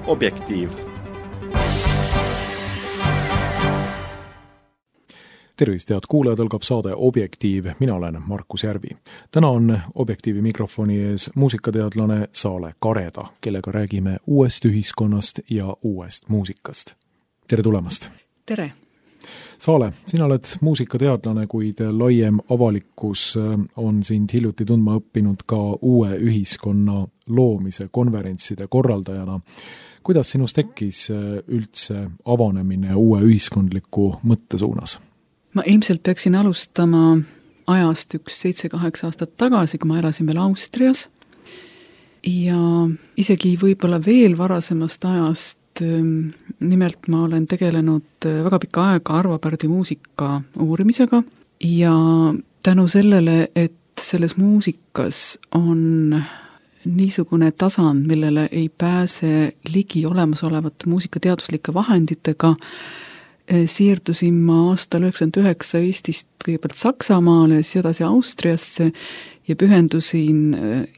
Objektiiv. Tervist, head kuulajad, algab saade Objektiiv. Mina olen Markus Järvi. Täna on Objektiivi mikrofoni ees muusikateadlane Saale Kareda, kellega räägime uuest ühiskonnast ja uuest muusikast. Tere tulemast! Tere! Saale, sina oled muusikateadlane, kuid laiem avalikkus on sind hiljuti tundma õppinud ka uue ühiskonna loomise konverentside korraldajana. Kuidas sinus tekkis üldse avanemine uue ühiskondliku mõtte suunas? Ma ilmselt peaksin alustama ajast 7-8 aastat tagasi, kui ma elasin veel Austrias. Ja isegi võib-olla veel varasemast ajast, nimelt ma olen tegelenud väga pikka aega Arvo Pärdi muusika uurimisega ja tänu sellele, et selles muusikas on niisugune tasand, millele ei pääse ligi olemasolevate muusikateaduslike vahenditega, siirdusin ma aastal 1999 Eestist kõigepealt Saksamaale ja siis edasi Austriasse ja pühendusin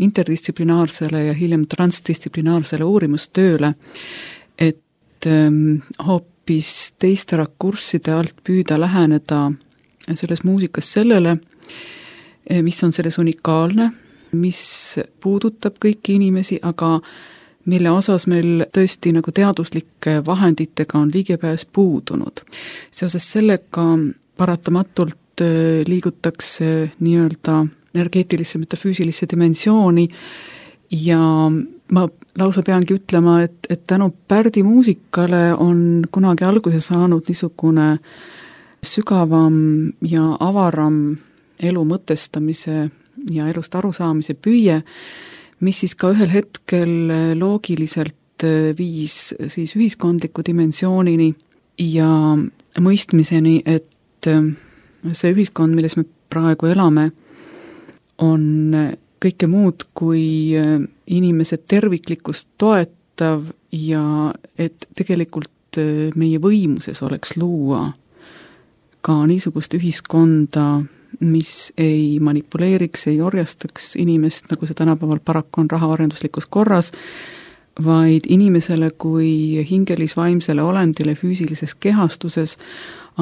interdistsiplinaarsele ja hiljem transdistsiplinaarsele uurimustööle, et hoopis teiste rakursside alt püüda läheneda selles muusikas sellele, mis on selles unikaalne, mis puudutab kõiki inimesi, aga mille osas meil tõesti nagu teaduslike vahenditega on ligipääs puudunud. Seoses sellega paratamatult liigutakse nii-öelda energeetilisse metafüüsilisse dimensiooni ja ma lausa peangi ütlema, et tänu Pärdi muusikale on kunagi alguse saanud niisugune sügavam ja avaram elu mõtestamise ja elust arusaamise püüe, mis siis ka ühel hetkel loogiliselt viis siis ühiskondliku dimensioonini ja mõistmiseni, et see ühiskond, milles me praegu elame, on kõike muud kui inimese terviklikkust toetav ja et tegelikult meie võimuses oleks luua ka niisugust ühiskonda, mis ei manipuleeriks, ei orjastaks inimest, nagu see tänapäeval paraku on rahaarenduslikus korras, vaid inimesele kui hingelis-vaimsele olendile füüsilises kehastuses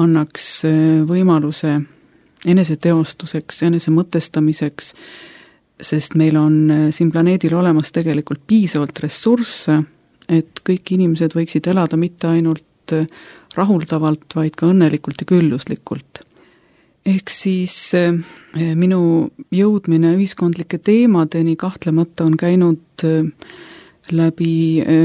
annaks võimaluse eneseteostuseks, enesemõtestamiseks, sest meil on siin planeedil olemas tegelikult piisavalt ressursse, et kõik inimesed võiksid elada mitte ainult rahuldavalt, vaid ka õnnelikult ja külluslikult. Ehk siis minu jõudmine ühiskondlike teemadeni kahtlemata on käinud läbi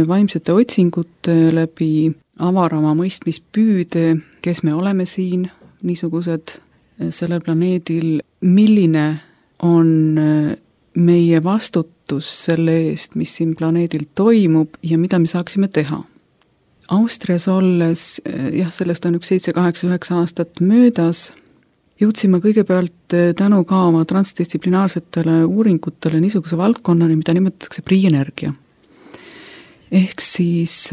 vaimsete otsingute, läbi avarama mõistmispüüde, kes me oleme siin, niisugused sellel planeedil, milline on meie vastutus selle eest, mis siin planeedil toimub ja mida me saaksime teha. Austrias olles, sellest on 7-8-9 aastat möödas, jõudsime kõigepealt tänu ka oma transdistsiplinaarsetele uuringutele niisuguse valdkonnani, mida nimetatakse prienergia. Ehk siis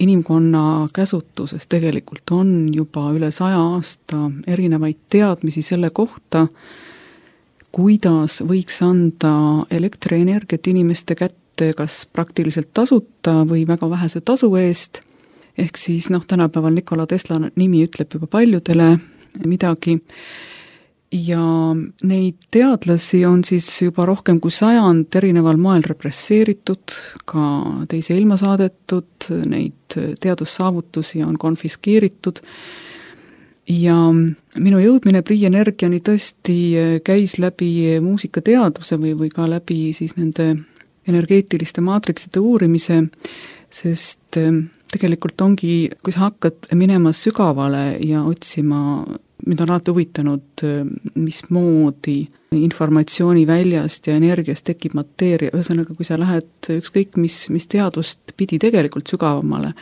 inimkonna käsutuses tegelikult on juba üle 100 aasta erinevaid teadmisi selle kohta, kuidas võiks anda elektrienergiat inimeste kätte kas praktiliselt tasuta või väga vähese tasu eest. Ehk siis tänapäeval Nikola Tesla nimi ütleb juba paljudele midagi. Ja neid teadlasi on siis juba rohkem kui 100 erineval moel represseeritud, ka teise ilma saadetud, neid teadussaavutusi on konfiskeeritud. Ja minu jõudmine prienergiani tõesti käis läbi muusikateaduse või ka läbi siis nende energeetiliste maatrikside uurimise, sest tegelikult ongi, kui sa hakkad minema sügavale ja otsima, mind on alati huvitanud, mismoodi informatsiooni väljast ja energiast tekib mateeria. Ühesõnaga, kui sa lähed ükskõik mis teadust pidi tegelikult sügavamale,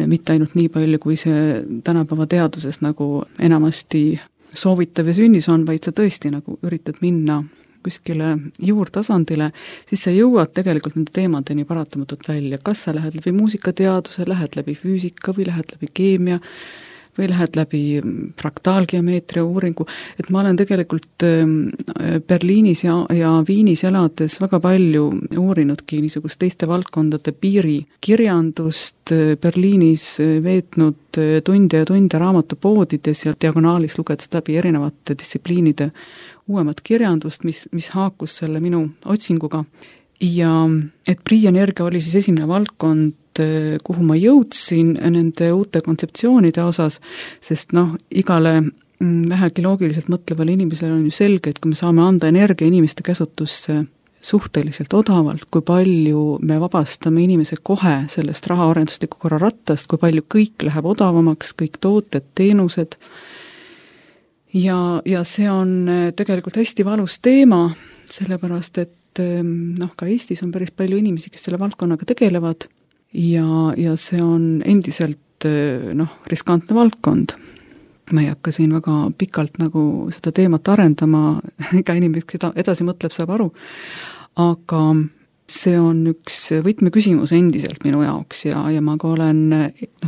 mitte ainult nii palju, kui see tänapäeva teaduses nagu enamasti soovitav ja sünnis on, vaid sa tõesti nagu üritad minna kuskile juurtasandile, siis sa jõuad tegelikult nende teemadeni paratamatult välja. Kas sa lähed läbi muusikateaduse, lähed läbi füüsika või lähed läbi keemia või lähed läbi fraktaalgeomeetria uuringu, et ma olen tegelikult Berliinis ja Viinis elades väga palju uurinudki niisugust teiste valdkondade piirikirjandust, Berliinis veetnud tunde ja tunde raamatupoodides ja diagonaalis lugedes läbi erinevate distsipliinide uuemat kirjandust, mis haakus selle minu otsinguga. Ja et Pri-energia oli siis esimene valdkond, kuhu ma jõudsin nende uute kontseptsioonide osas, sest igale vähegi loogiliselt mõtlevale inimesele on ju selge, et kui me saame anda energia inimeste käsutusse suhteliselt odavalt, kui palju me vabastame inimese kohe sellest rahaarendusliku korra rattast, kui palju kõik läheb odavamaks, kõik tooted, teenused. Ja see on tegelikult hästi valus teema, sellepärast et ka Eestis on päris palju inimesi, kes selle valdkonnaga tegelevad ja see on endiselt riskantne valdkond. Ma ei hakka siin väga pikalt seda teemat arendama, iga inimene, kes edasi mõtleb, saab aru, aga see on üks võtmeküsimus endiselt minu jaoks ja ma ka olen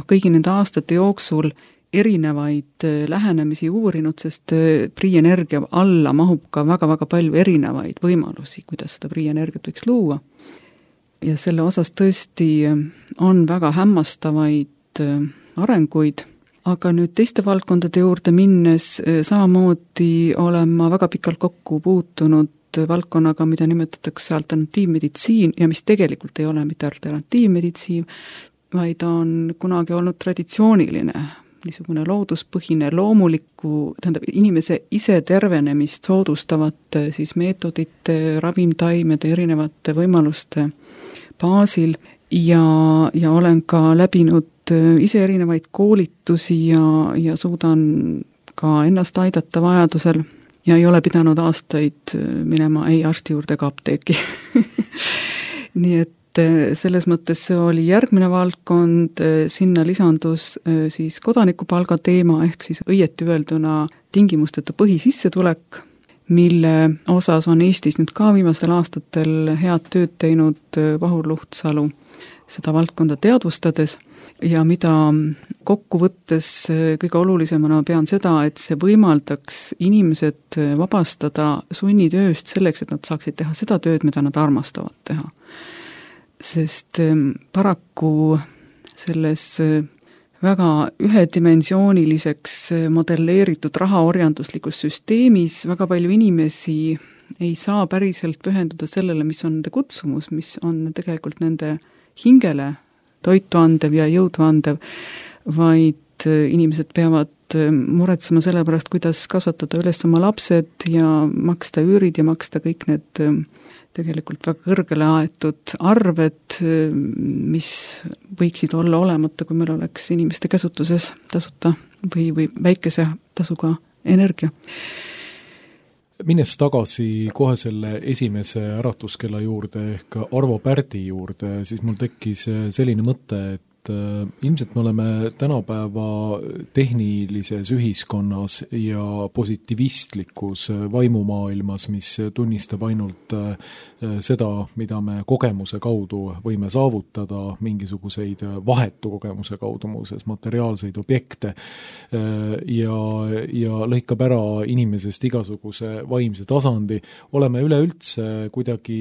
kõigi nende aastate jooksul erinevaid lähenemisi uurinud, sest Pri-energia alla mahub ka väga-väga palju erinevaid võimalusi, kuidas seda Pri-energiat võiks luua. Ja selle osas tõesti on väga hämmastavaid arenguid, aga nüüd teiste valdkondade juurde minnes samamoodi olen ma väga pikalt kokku puutunud valdkonnaga, mida nimetatakse alternatiivmeditsiin ja mis tegelikult ei ole mitte alternatiivmeditsiin, vaid on kunagi olnud traditsiooniline niisugune looduspõhine, loomuliku, inimese ise tervenemist soodustavate siis meetodite, ravimtaimede, erinevate võimaluste baasil ja olen ka läbinud ise erinevaid koolitusi ja suudan ka ennast aidata vajadusel ja ei ole pidanud aastaid minema ei arsti juurde ega apteeki. Nii et selles mõttes see oli järgmine valdkond, sinna lisandus siis kodanikupalga teema ehk siis õieti öelduna tingimusteta põhisissetulek, mille osas on Eestis nüüd ka viimasel aastatel head tööd teinud Vahur Luhtsalu seda valdkonda teadvustades ja mida kokkuvõttes kõige olulisemana pean seda, et see võimaldaks inimesed vabastada sunnitööst selleks, et nad saaksid teha seda tööd, mida nad armastavad teha. Sest paraku selles väga ühedimensiooniliseks modelleeritud rahaorjanduslikus süsteemis väga palju inimesi ei saa päriselt pühenduda sellele, mis on nende kutsumus, mis on tegelikult nende hingele toitu andev ja jõudu andev, vaid inimesed peavad muretsema selle pärast, kuidas kasvatada üles oma lapsed ja maksta üürid ja maksta kõik need tegelikult väga kõrgele aetud arved, mis võiksid olla olemata, kui meil oleks inimeste käsutuses tasuta või väikese tasuga energia. Minnes tagasi kohe selle esimese äratuskella juurde ehk Arvo Pärdi juurde, siis mul tekkis selline mõte, et ilmselt me oleme tänapäeva tehnilises ühiskonnas ja positivistlikus vaimumaailmas, mis tunnistab ainult seda, mida me kogemuse kaudu võime saavutada, mingisuguseid vahetu kogemuse kaudu muuseas materiaalseid objekte ja lõikab ära inimesest igasuguse vaimse tasandi, oleme üleüldse kuidagi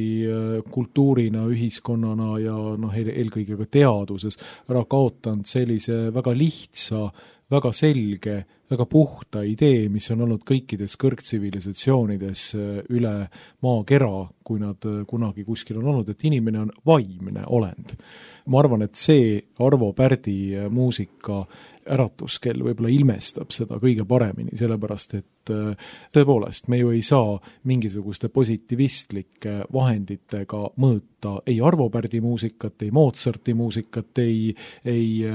kultuurina, ühiskonnana ja eelkõige ka teaduses ära kaotanud sellise väga lihtsa, väga selge, väga puhta idee, mis on olnud kõikides kõrgtsivilisatsioonides üle maakera, kui nad kunagi kuskil on olnud, et inimene on vaimne olend. Ma arvan, et see Arvo Pärdi muusika äratuskell võib-olla ilmestab seda kõige paremini, sellepärast et tõepoolest me ju ei saa mingisuguste positivistlike vahenditega mõõta ei Arvo Pärdi muusikat, ei Mozarti muusikat, ei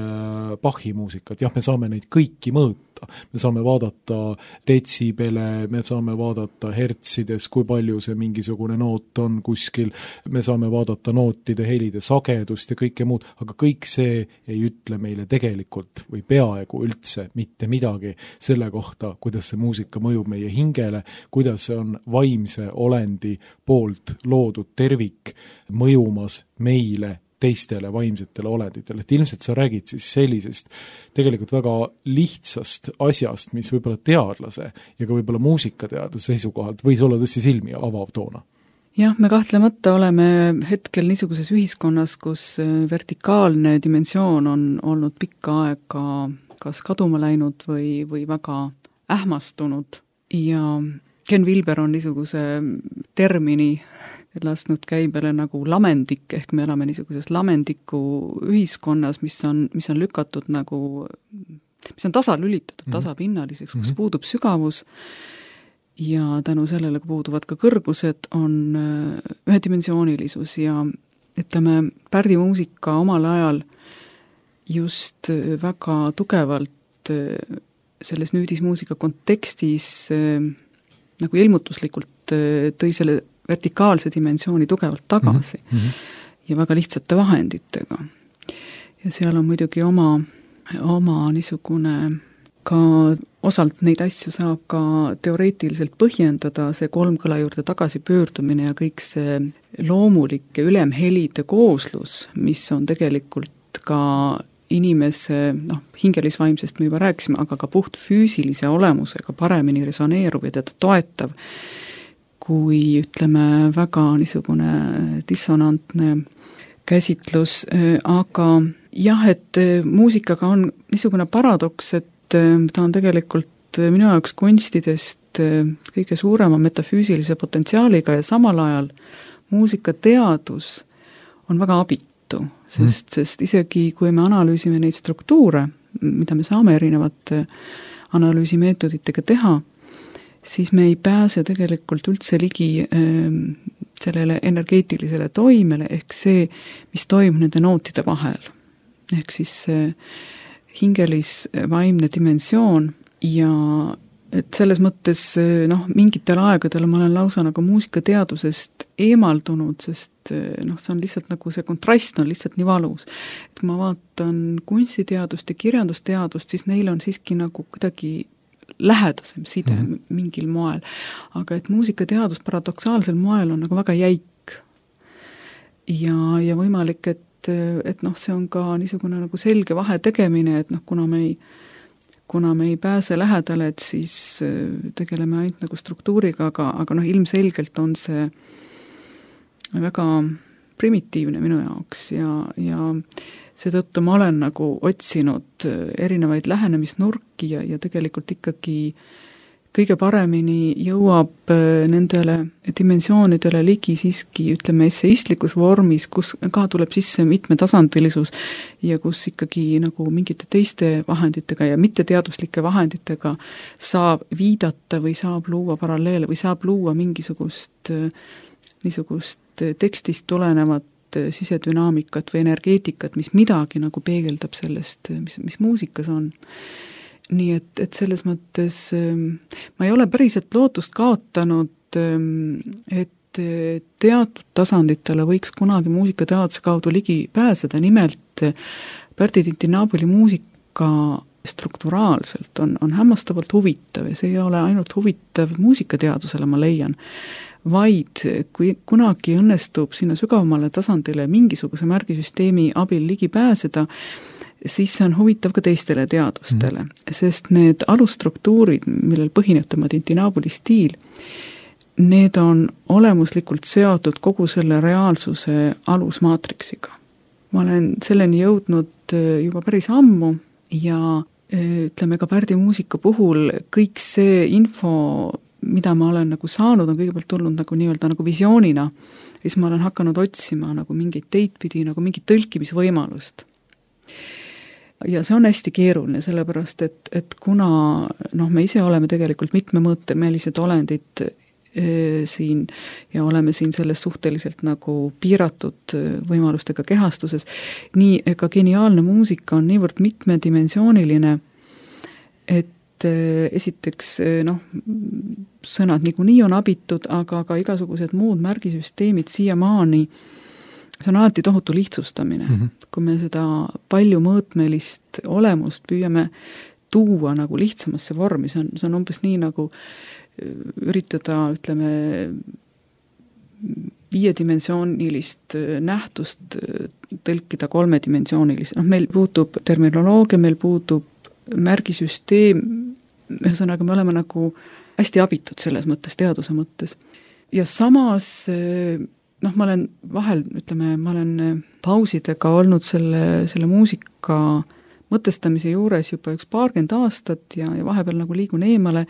Bachi muusikat, jah, me saame neid kõiki mõõta, me saame vaadata detsibele, me saame vaadata hertsides, kui palju see mingisugune noot on kuskil, me saame vaadata nootide helide sagedust ja kõike muud, aga kõik see ei ütle meile tegelikult või peaaegu üldse mitte midagi selle kohta, kuidas see muusika mõjub meie hingele, kuidas see on vaimse olendi poolt loodud tervik mõjumas meile teistele vaimsetele olenditele, et ilmselt sa räägid siis sellisest tegelikult väga lihtsast asjast, mis võib-olla teadlase ja ka võib-olla muusikateadlase seisukohalt võis olla tõesti silmi avav toona. Jah, me kahtlemata oleme hetkel niisuguses ühiskonnas, kus vertikaalne dimensioon on olnud pikka aega kas kaduma läinud või väga ähmastunud ja Ken Wilber on niisuguse termini lasknud käibele nagu lamendik, ehk me elame niisuguses lamendiku ühiskonnas, mis on lükatud nagu, mis on tasalülitatud tasapinnaliseks, kus puudub sügavus ja tänu sellele puuduvad ka kõrgused, on ühedimensioonilisus ja ütleme, Pärdi muusika omal ajal just väga tugevalt selles nüüdismuusika kontekstis nagu ilmutuslikult tõi selle vertikaalse dimensiooni tugevalt tagasi ja väga lihtsate vahenditega. Ja seal on muidugi oma niisugune ka osalt neid asju saab ka teoreetiliselt põhjendada, see kolmkõla juurde tagasi pöördumine ja kõik see loomulik ja ülemhelide kooslus, mis on tegelikult ka inimese, hingelisvaimsest me juba rääkisime, aga ka puht füüsilise olemusega paremini resoneeruv ja teda toetav, kui ütleme väga niisugune dissonantne käsitlus, aga jah, et muusikaga on niisugune paradoks, et ta on tegelikult minu jaoks kunstidest kõige suurema metafüüsilise potentsiaaliga ja samal ajal muusikateadus on väga abitu, sest isegi kui me analüüsime neid struktuure, mida me saame erinevate analüüsimeetoditega teha, siis me ei pääse tegelikult üldse ligi sellele energeetilisele toimele, ehk see, mis toimub nende nootide vahel. Ehk siis see hingelisvaimne dimensioon ja et selles mõttes mingitel aegadel ma olen lausa nagu muusikateadusest eemaldunud, sest see on lihtsalt nagu see kontrast on lihtsalt nii valus. Et kui ma vaatan kunstiteadust ja kirjandusteadust, siis neil on siiski nagu kuidagi lähedasem side mingil moel. Aga et muusikateadus paradoksaalsel moel on nagu väga jäik. Ja võimalik, et see on ka niisugune nagu selge vahe tegemine, et kuna me ei pääse lähedale, et siis tegeleme ainult nagu struktuuriga, aga ilmselgelt on see väga primitiivne minu jaoks ja seetõttu ma olen nagu otsinud erinevaid lähenemisnurki ja tegelikult ikkagi kõige paremini jõuab nendele dimensioonidele ligi siiski, ütleme, esseistlikus vormis, kus ka tuleb sisse mitmetasandilisus ja kus ikkagi nagu mingite teiste vahenditega ja mitteteaduslike vahenditega saab viidata või saab luua paralleele või saab luua mingisugust niisugust tekstist tulenevat sisedünaamikat või energeetikat, mis midagi nagu peegeldab sellest, mis muusikas on. Nii et selles mõttes ma ei ole päriselt lootust kaotanud, et teatud tasanditele võiks kunagi muusikateaduse kaudu ligi pääseda, nimelt Pärdi Tintinabuli muusika strukturaalselt on hämmastavalt huvitav ja see ei ole ainult huvitav muusikateadusele, ma leian, vaid kui kunagi õnnestub sinna sügavamale tasandile mingisuguse märgisüsteemi abil ligi pääseda, siis see on huvitav ka teistele teadustele, sest need alusstruktuurid, millel põhineb tema Tintinabuli stiil, need on olemuslikult seotud kogu selle reaalsuse alusmaatriksiga. Ma olen selleni jõudnud juba päris ammu ja ütleme ka Pärdi muusika puhul kõik see info, mida ma olen nagu saanud, on kõigepealt tulnud nagu nii-öelda nagu visioonina ja siis ma olen hakanud otsima nagu mingeid teid pidi, nagu mingit tõlkimisvõimalust. Ja see on hästi keeruline, sellepärast, et kuna me ise oleme tegelikult mitmemõõtemelised olendid siin ja oleme siin selles suhteliselt nagu piiratud võimalustega kehastuses, nii ka geniaalne muusika on niivõrd mitmedimensiooniline, et esiteks sõnad niikuinii on abitud, aga ka igasugused muud märgisüsteemid siiamaani, see on alati tohutu lihtsustamine. Kui me seda paljumõõtmelist olemust püüame tuua nagu lihtsamasse vormi, see on umbes nii nagu üritada, ütleme, 5-dimensioonilist nähtust tõlkida 3-dimensioonilist. Meil puutub terminoloogia, meil puutub märgisüsteem, ühesõnaga me oleme nagu hästi abitud selles mõttes, teaduse mõttes. Ja samas ma olen vahel, ma olen pausidega olnud selle muusika mõtestamise juures juba üks 20 aastat ja vahepeal nagu liigun eemale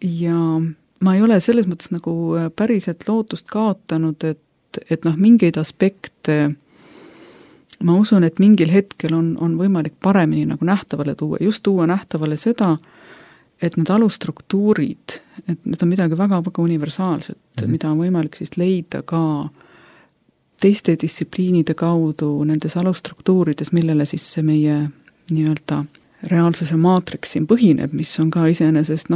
ja ma ei ole selles mõttes nagu päriselt lootust kaotanud, et mingeid aspekte ma usun, et mingil hetkel on võimalik paremini nagu nähtavale tuua, just tuua nähtavale seda, et need alusstruktuurid, et need on midagi väga-väga universaalset, mida on võimalik siis leida ka teiste distsipliinide kaudu nendes alusstruktuurides, millele siis see meie nii-öelda reaalsuse maatriks siin põhineb, mis on ka iseenesest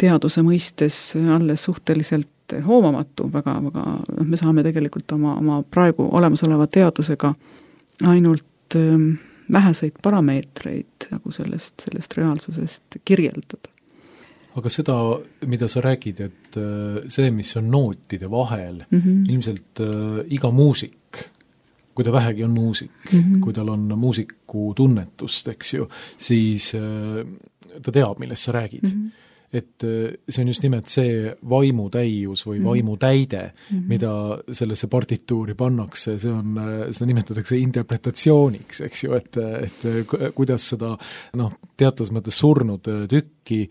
teaduse mõistes alles suhteliselt hoomamatu, väga-väga, me saame tegelikult oma praegu olemasoleva teadusega ainult väheseid parameetreid nagu sellest reaalsusest kirjeldada. Aga seda, mida sa räägid, et see, mis on nootide vahel, ilmselt iga muusik, kui ta vähegi on muusik, kui tal on muusiku tunnetust, eks ju, siis ta teab, millest sa räägid. Et see on just nimelt see vaimutäius või vaimutäide, mida sellesse partituuri pannakse, seda nimetatakse interpretatsiooniks, eks ju, et kuidas seda teatud mõttes surnud tükki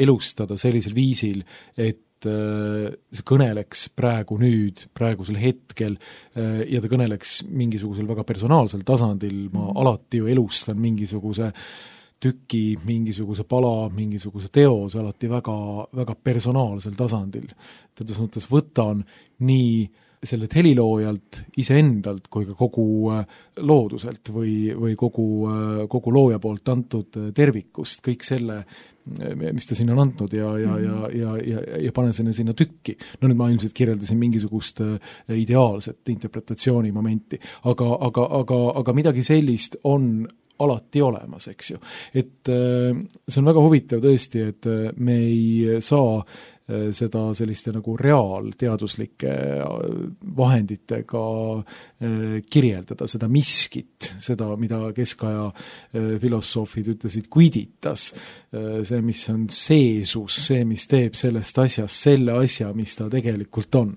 elustada sellisel viisil, et see kõneleks praegusel hetkel ja ta kõneleks mingisugusel väga personaalsel tasandil, ma alati ju elustan mingisuguse tüki, mingisuguse pala, mingisuguse teos alati väga, väga personaalsel tasandil. Tädes mõttes võtan nii sellelt heliloojalt, iseendalt kui ka kogu looduselt või kogu looja poolt antud tervikust, kõik selle, mis ta sinna on andnud ja panen sinna tükki. Nüüd ma ilmselt kirjeldasin mingisugust ideaalset interpretatsiooni momenti, aga midagi sellist on alati olemas, eks ju. Et see on väga huvitav tõesti, et me ei saa seda selliste nagu reaalteaduslike vahenditega kirjeldada, seda miskit, seda, mida keskaja filosoofid ütlesid, quiditas, see, mis on seesus, see, mis teeb sellest asjast selle asja, mis ta tegelikult on.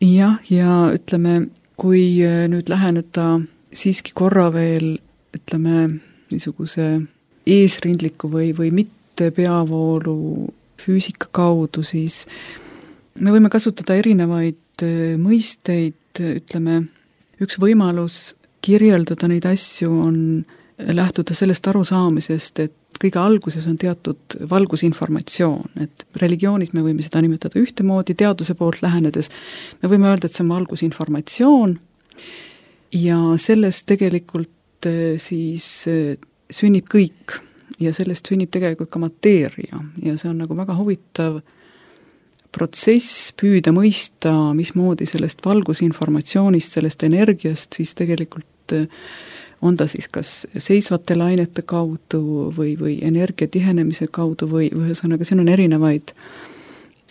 Jah, ja ütleme, kui nüüd läheneda siiski korra veel niisuguse eesrindliku või mitte peavoolu füüsika kaudu, siis me võime kasutada erinevaid mõisteid, üks võimalus kirjeldada neid asju on lähtuda sellest arusaamisest, et kõige alguses on teatud valgusinformatsioon, et religioonis me võime seda nimetada ühtemoodi, teaduse poolt lähenedes me võime öelda, et see on valgusinformatsioon ja sellest tegelikult siis sünnib kõik ja sellest sünnib tegelikult ka mateeria ja see on nagu väga huvitav protsess püüda mõista, mismoodi sellest valgusinformatsioonist, sellest energiast siis tegelikult on ta siis kas seisvate lainete kaudu või energia tihenemise kaudu või ühesõnaga siin on erinevaid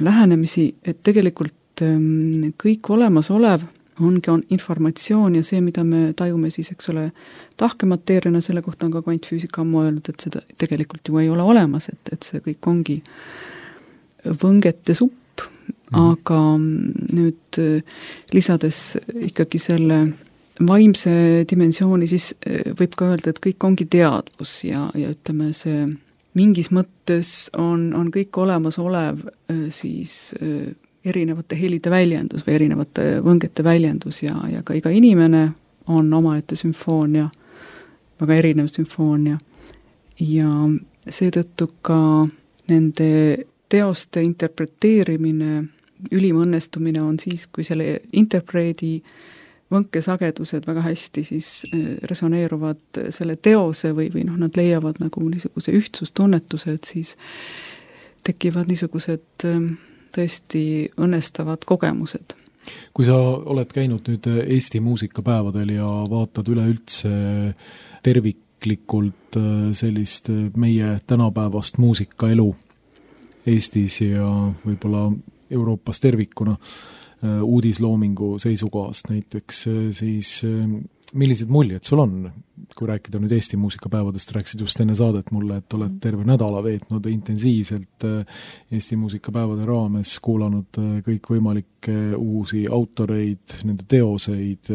lähenemisi, et tegelikult kõik olemasolev ongi informatsioon ja see, mida me tajume siis, eks ole, tahkemateeriana, selle kohta on ka kvantfüüsika ammu öelnud, et seda tegelikult ju ei ole olemas, et see kõik ongi võngete supp, aga nüüd lisades ikkagi selle vaimse dimensiooni, siis võib ka öelda, et kõik ongi teadvus ja see mingis mõttes on kõik olemasolev siis erinevate helide väljendus või erinevate võngete väljendus ja ka iga inimene on omaette sümfoonia, väga erinev sümfoonia ja seetõttu ka nende teoste interpreteerimine, ülim õnnestumine on siis, kui selle interpreedi võnkesagedused väga hästi siis resoneeruvad selle teose või nad leiavad nagu niisuguse ühtsustunnetuse, et siis tekivad niisugused tõesti õnnestavad kogemused. Kui sa oled käinud nüüd Eesti muusikapäevadel ja vaatad üleüldse terviklikult sellist meie tänapäevast muusikaelu Eestis ja võib-olla Euroopas tervikuna, uudisloomingu seisukohast näiteks, siis millised muljed sul on? Kui rääkida nüüd Eesti muusikapäevadest, rääkisid just enne saadet mulle, et oled terve nädala veetnud intensiivselt Eesti muusikapäevade raames, kuulanud kõikvõimalikke uusi autoreid, nende teoseid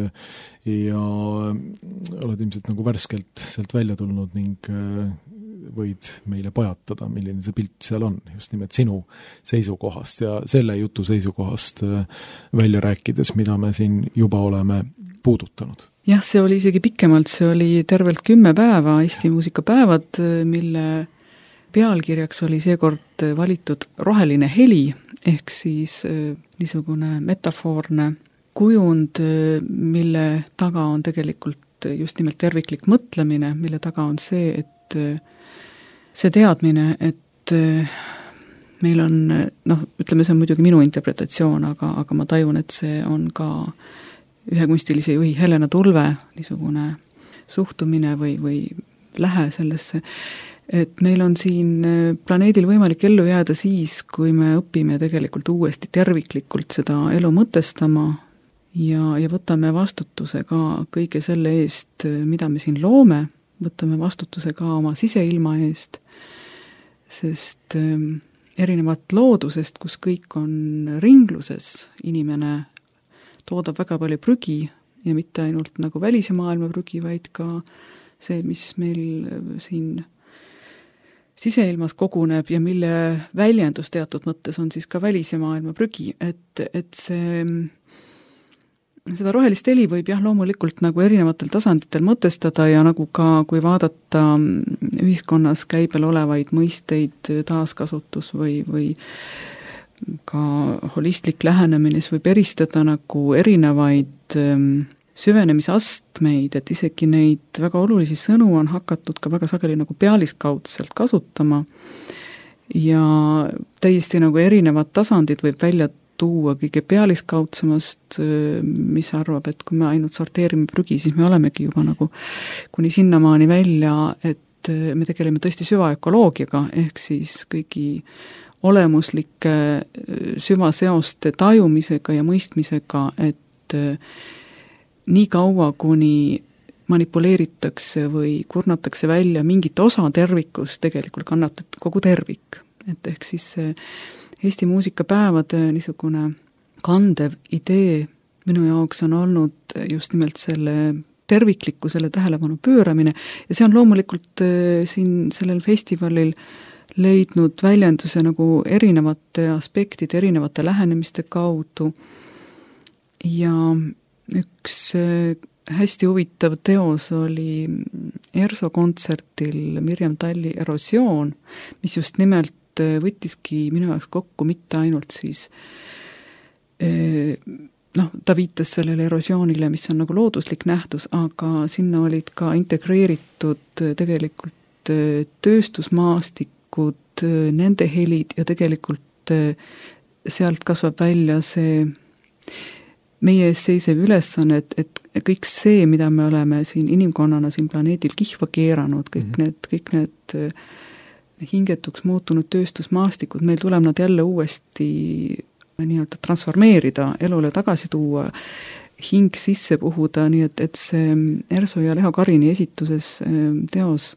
ja oled ilmselt nagu värskelt sealt välja tulnud ning võid meile pajatada, milline see pilt seal on, just nimelt sinu seisukohast ja selle jutu seisukohast välja rääkides, mida me siin juba oleme puudutanud. Jah, see oli isegi pikemalt, see oli tervelt 10 päeva Eesti muusikapäevad, mille pealkirjaks oli seekord valitud roheline heli, ehk siis niisugune metafoorne kujund, mille taga on tegelikult just nimelt terviklik mõtlemine, mille taga on see, et see teadmine, et meil on, ütleme, see on muidugi minu interpretatsioon, aga ma tajun, et see on ka ühe kunstilise juhi Helena Tulve niisugune suhtumine või lähe sellesse, et meil on siin planeedil võimalik ellu jääda siis, kui me õpime tegelikult uuesti terviklikult seda elu mõtestama ja võtame vastutuse ka kõige selle eest, mida me siin loome, võtame vastutuse ka oma siseilma eest, sest erinevalt loodusest, kus kõik on ringluses, inimene toodab väga palju prügi ja mitte ainult nagu välise maailma prügi, vaid ka see, mis meil siin siseilmas koguneb ja mille väljendus teatud mõttes on siis ka välise maailma prügi, et seda rohelist heli võib jah loomulikult nagu erinevatel tasanditel mõtestada ja nagu ka, kui vaadata ühiskonnas käibel olevaid mõisteid, taaskasutus või ka holistlik lähenemine, siis võib eristada nagu erinevaid süvenemisastmeid, et isegi neid väga olulisi sõnu on hakatud ka väga sageli nagu pealiskaudselt kasutama ja täiesti nagu erinevad tasandid võib välja tuua kõige pealiskaudsemast, mis arvab, et kui me ainult sorteerime prügi, siis me olemegi juba nagu kuni sinnamaani välja, et me tegeleme tõesti süvaökoloogiaga, ehk siis kõigi olemuslike süvaseoste tajumisega ja mõistmisega, et nii kaua, kuni manipuleeritakse või kurnatakse välja mingit osa tervikust, tegelikult kannatab kogu tervik. Et ehk siis see Eesti muusikapäevade niisugune kandev idee minu jaoks on olnud just nimelt selle terviklikkusele tähelepanu pööramine ja see on loomulikult siin sellel festivalil leidnud väljenduse nagu erinevate aspektide, erinevate lähenemiste kaudu ja üks hästi huvitav teos oli ERSO kontserdil Mirjam Talli Erosioon, mis just nimelt võttiski minu jaoks kokku mitte ainult siis ta viitas sellele erosioonile, mis on nagu looduslik nähtus, aga sinna olid ka integreeritud tegelikult tööstusmaastikud, nende helid ja tegelikult sealt kasvab välja see meie ees seisev ülesanne, et kõik see, mida me oleme siin inimkonnana siin planeedil kihva keeranud, kõik need hingetuks muutunud tööstusmaastikud, meil tuleb nad jälle uuesti nii-öelda transformeerida, elule tagasi tuua, hing sisse puhuda, nii et see Erso ja Leho Karini esituses teos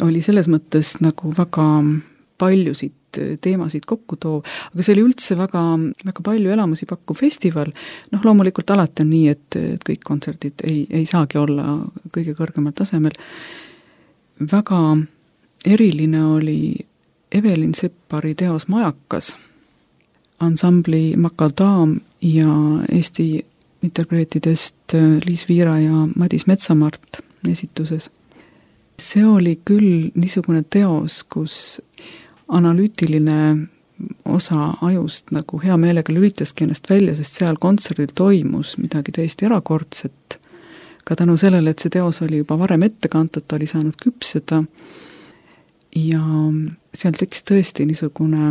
oli selles mõttes nagu väga paljusid teemasid kokku toov, aga see oli üldse väga, väga palju elamusi pakkuv festival. Loomulikult alati on nii, et kõik kontserdid ei saagi olla kõige kõrgemal tasemel. Väga eriline oli Evelin Seppari teos Majakas, ansambli Makadaam ja Eesti interpreetidest Liis Viira ja Madis Metsamart esituses. See oli küll niisugune teos, kus analüütiline osa ajust nagu hea meelega lülitaski ennast välja, sest seal kontserdil toimus midagi täiesti erakordset. Ka tänu sellele, et see teos oli juba varem ette kantud, ta oli saanud küpseda ja seal tekkis tõesti niisugune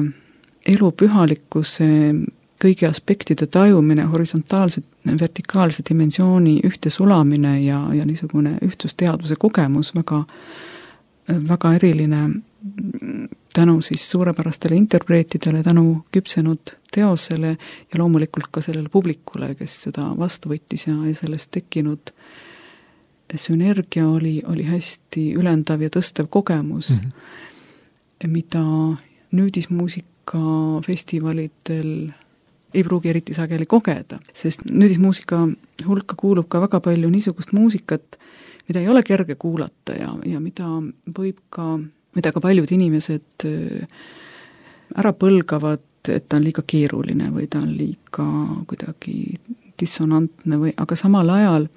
elu pühalikkuse kõigi aspektide tajumine, horisontaalse, vertikaalse dimensiooni ühtesulamine ja niisugune ühtsusteadvuse kogemus, väga, väga eriline tänu siis suurepärastele interpreetidele, tänu küpsenud teosele ja loomulikult ka sellele publikule, kes seda vastu võttis ja sellest tekkinud sünergia oli hästi ülendav ja tõstev kogemus, mida nüüdismuusika festivalidel ei pruugi eriti sageli kogeda, sest nüüdismuusika hulka kuulub ka väga palju niisugust muusikat, mida ei ole kerge kuulata ja mida ka paljud inimesed ära põlgavad, et ta on liiga keeruline või ta on liiga kuidagi dissonantne aga samal ajal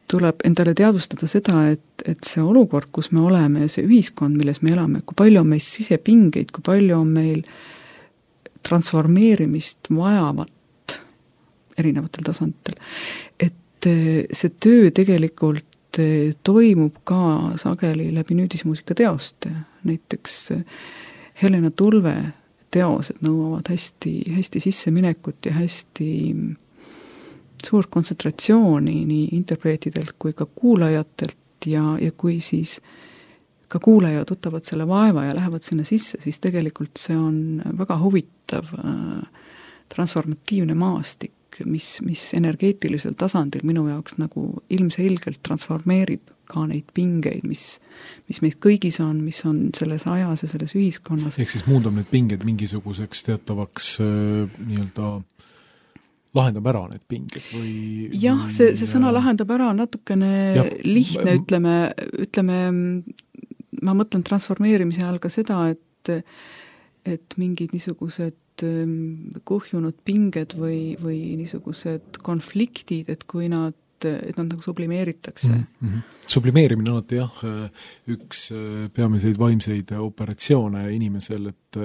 tuleb endale teadvustada seda, et see olukord, kus me oleme, see ühiskond, milles me elame, kui palju on meil sisepingeid, kui palju on meil transformeerimist vajavat erinevatel tasanditel, et see töö tegelikult toimub ka sageli läbi nüüdismuusika teoste. Näiteks Helena Tulve teosed nõuavad hästi sisseminekut ja hästi suurt kontsentratsiooni nii interpreetidelt kui ka kuulajatelt ja kui siis ka kuulajad võtavad selle vaeva ja lähevad sinna sisse, siis tegelikult see on väga huvitav transformatiivne maastik, mis energeetilisel tasandil minu jaoks nagu ilmselgelt transformeerib ka neid pingeid, mis meid kõigis on, mis on selles ajas ja selles ühiskonnas. Ehk siis muundab need pinged mingisuguseks teatavaks nii-öelda lahendab ära need pinged või... Jah, see sõna lahendab ära on natukene lihtne, ütleme, ma mõtlen transformeerimise all ka seda, et mingid niisugused kuhjunud pinged või niisugused konfliktid, et kui nad nagu sublimeeritakse. Sublimeerimine on alati üks peamiseid vaimseid operatsioone inimesel, et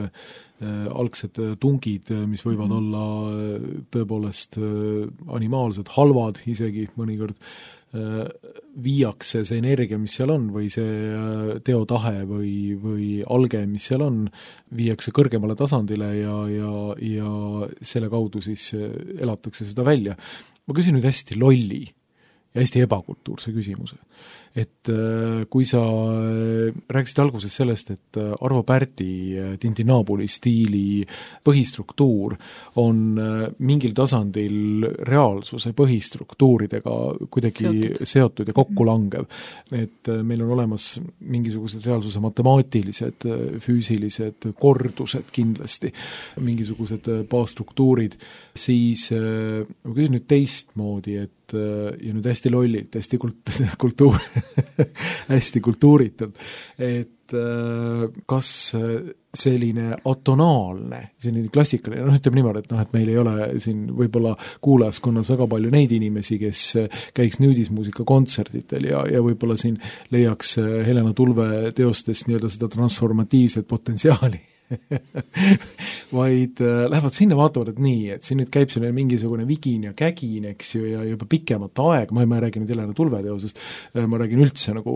algsed tungid, mis võivad olla tõepoolest animaalsed, halvad isegi mõnikord, viiakse see energia, mis seal on, või see teotahe või alge, mis seal on, viiakse kõrgemale tasandile ja selle kaudu siis elatakse seda välja. Ma küsin nüüd hästi lolli ja hästi ebakultuurse küsimuse. Et kui sa rääkisid alguses sellest, et Arvo Pärdi Tintinabuli stiili põhistruktuur on mingil tasandil reaalsuse põhistruktuuridega kuidagi seotud ja kokkulangev, et meil on olemas mingisugused reaalsuse matemaatilised, füüsilised kordused kindlasti, mingisugused baasstruktuurid, siis ma küsin nüüd teistmoodi, et ja nüüd hästi lollilt, hästi hästi kultuuritult, et kas selline atonaalne, selline klassikaline, ütleme niimoodi, et meil ei ole siin võib-olla kuulajaskonnas väga palju neid inimesi, kes käiks nüüdismuusika kontserditel ja võib-olla siin leiaks Helena Tulve teostest nii-öelda seda transformatiivset potentsiaali. Vaid lähevad sinna, vaatavad, et nii, et siin nüüd käib selline mingisugune vigin ja kägin, eks ju, ja juba pikemat aega, ma ei räägi nüüd Helena Tulve teosest, ma räägin üldse nagu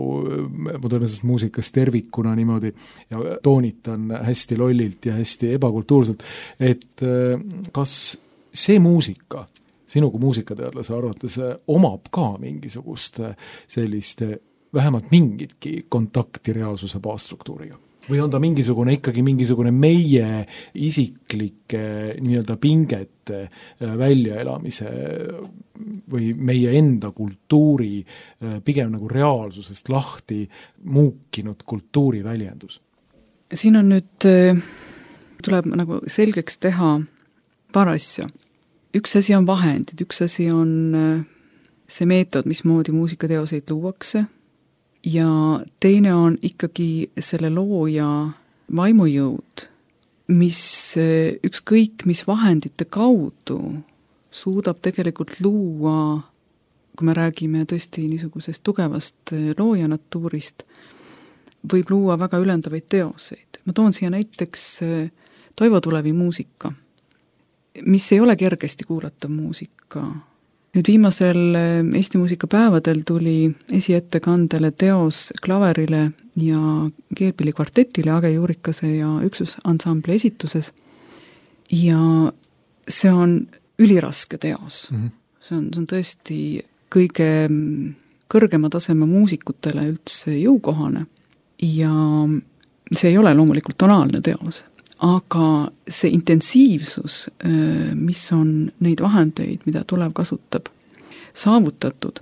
modernsest muusikast tervikuna niimoodi ja toonitan hästi lollilt ja hästi ebakultuurselt, et kas see muusika sinu kui muusikateadlase arvates omab ka mingisugust sellist vähemalt mingitki kontakti reaalsuse baasstruktuuriga? Või on ta ikkagi mingisugune meie isiklike nii-öelda pingete väljaelamise või meie enda kultuuri pigem nagu reaalsusest lahti muukinud kultuuri väljendus? Siin on nüüd, tuleb nagu selgeks teha paar asja. Üks asi on vahendid, üks asi on see meetod, mismoodi muusikateoseid luuakse, ja teine on ikkagi selle looja vaimujõud, mis ükskõik mis vahendite kaudu suudab tegelikult luua, kui me räägime tõesti niisugusest tugevast loojanatuurist, võib luua väga ülendavaid teoseid. Ma toon siia näiteks Toivo Tulevi muusika, mis ei ole kergesti kuulatav muusika. Nüüd viimasel Eesti muusikapäevadel tuli esiettekandele teos klaverile ja keelpilli kvartetile Age Juurikase ja üksusansambli esituses ja see on üliraske teos. See on tõesti kõige kõrgema taseme muusikutele üldse jõukohane ja see ei ole loomulikult tonaalne teos, aga see intensiivsus, mis on neid vahendeid, mida tulev kasutab, saavutatud,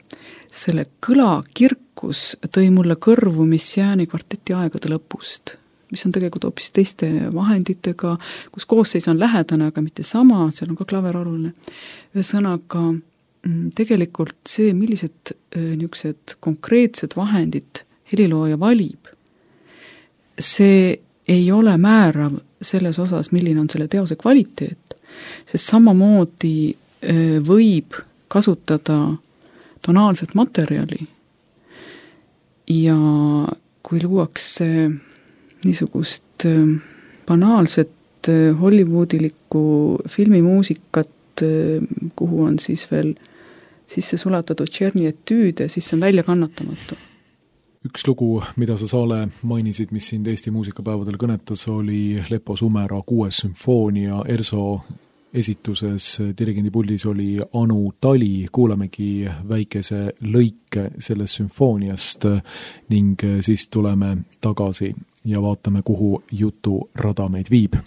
selle kõla kirkus tõi mulle kõrvu Messiaeni kvarteti aegade lõpust, mis on tegelikult hoopis teiste vahenditega, kus koosseis on lähedane, aga mitte sama, seal on ka klaver oluline. Ühesõnaga, tegelikult see, millised niisugused konkreetsed vahendid helilooja valib, see ei ole määrav selles osas, milline on selle teose kvaliteet, sest samamoodi võib kasutada tonaalset materjali ja kui luuakse niisugust banaalset hollywoodilikku filmimuusikat, kuhu on siis veel sisse sulatatud Tšerni etüüde, siis see on välja kannatamatu. Üks lugu, mida sa, Saale, mainisid, mis sind Eesti muusikapäevadel kõnetas, oli Lepo Sumera 6. sümfoonia ERSO esituses. Dirigendi puldis oli Anu Tali, kuulamegi väikese lõike sellest sümfooniast ning siis tuleme tagasi ja vaatame, kuhu jutu rada meid viib.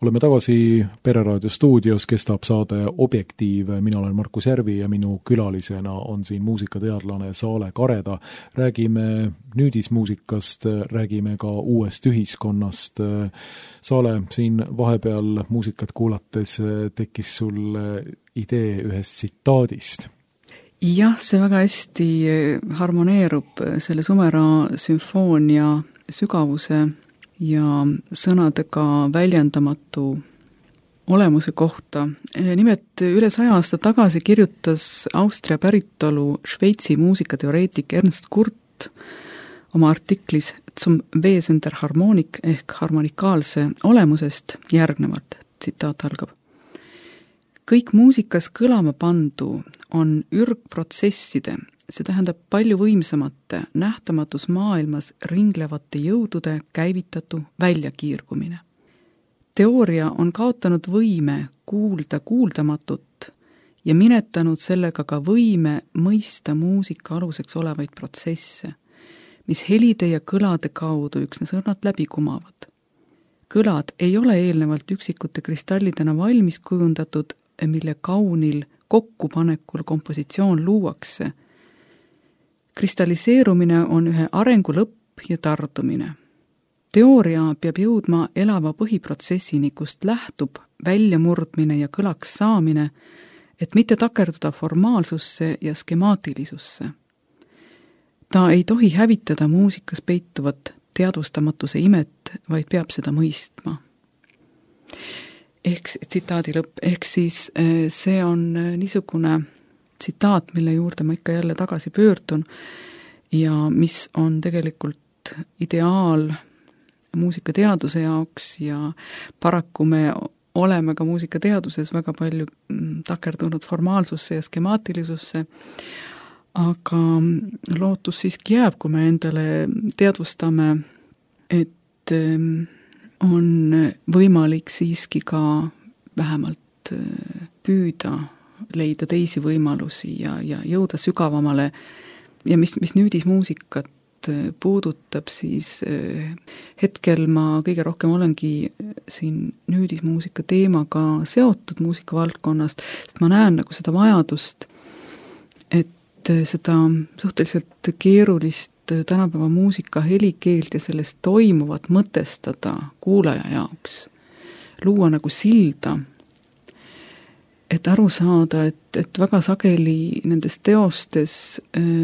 Oleme tagasi Pereraadio stuudios, kestab saade Objektiiv. Mina olen Markus Järvi ja minu külalisena on siin muusikateadlane Saale Kareda. Räägime nüüdismuusikast, räägime ka uuest ühiskonnast. Saale, siin vahepeal muusikat kuulates tekkis sul idee ühest tsitaadist. Jah, see väga hästi harmoneerub selle Sumera sümfoonia sügavuse ja sõnadega väljendamatu olemuse kohta. Nimelt üle 100 aasta tagasi kirjutas Austria päritolu Šveitsi muusikateoreetik Ernst Kurt oma artiklis Zum Wesen der Harmonik ehk harmonikaalse olemusest järgnevalt, tsitaat algab. Kõik muusikas kõlama pandu on ürgprotsesside, see tähendab palju võimsamate nähtamatus maailmas ringlevate jõudude käivitatu väljakiirgumine. Teooria on kaotanud võime kuulda kuuldamatut ja minetanud sellega ka võime mõista muusika aluseks olevaid protsesse, mis helide ja kõlade kaudu üksnes õrnalt läbi kumavad. Kõlad ei ole eelnevalt üksikute kristallidena valmis kujundatud, mille kaunil kokkupanekul kompositsioon luuakse. Kristalliseerumine on ühe arengu lõpp ja tardumine. Teooria peab jõudma elava põhiprotsessini, kust lähtub väljamurdmine ja kõlaks saamine, et mitte takerduda formaalsusse ja skemaatilisusse. Ta ei tohi hävitada muusikas peituvat teadvustamatuse imet, vaid peab seda mõistma. Tsitaadi lõpp, ehk siis see on niisugune tsitaat, mille juurde ma ikka jälle tagasi pöördun ja mis on tegelikult ideaal muusikateaduse jaoks ja paraku me oleme ka muusikateaduses väga palju takerdunud formaalsusse ja skemaatilisusse, aga lootus siiski jääb, kui me endale teadvustame, et on võimalik siiski ka vähemalt püüda leida teisi võimalusi ja jõuda sügavamale ja mis nüüdismuusikat puudutab, siis hetkel ma kõige rohkem olengi siin nüüdismuusika teemaga seotud muusikavaldkonnast, sest ma näen nagu seda vajadust, et seda suhteliselt keerulist tänapäeva muusika helikeelt ja sellest toimuvat mõtestada kuulaja jaoks, luua nagu silda, et aru saada, et väga sageli nendes teostes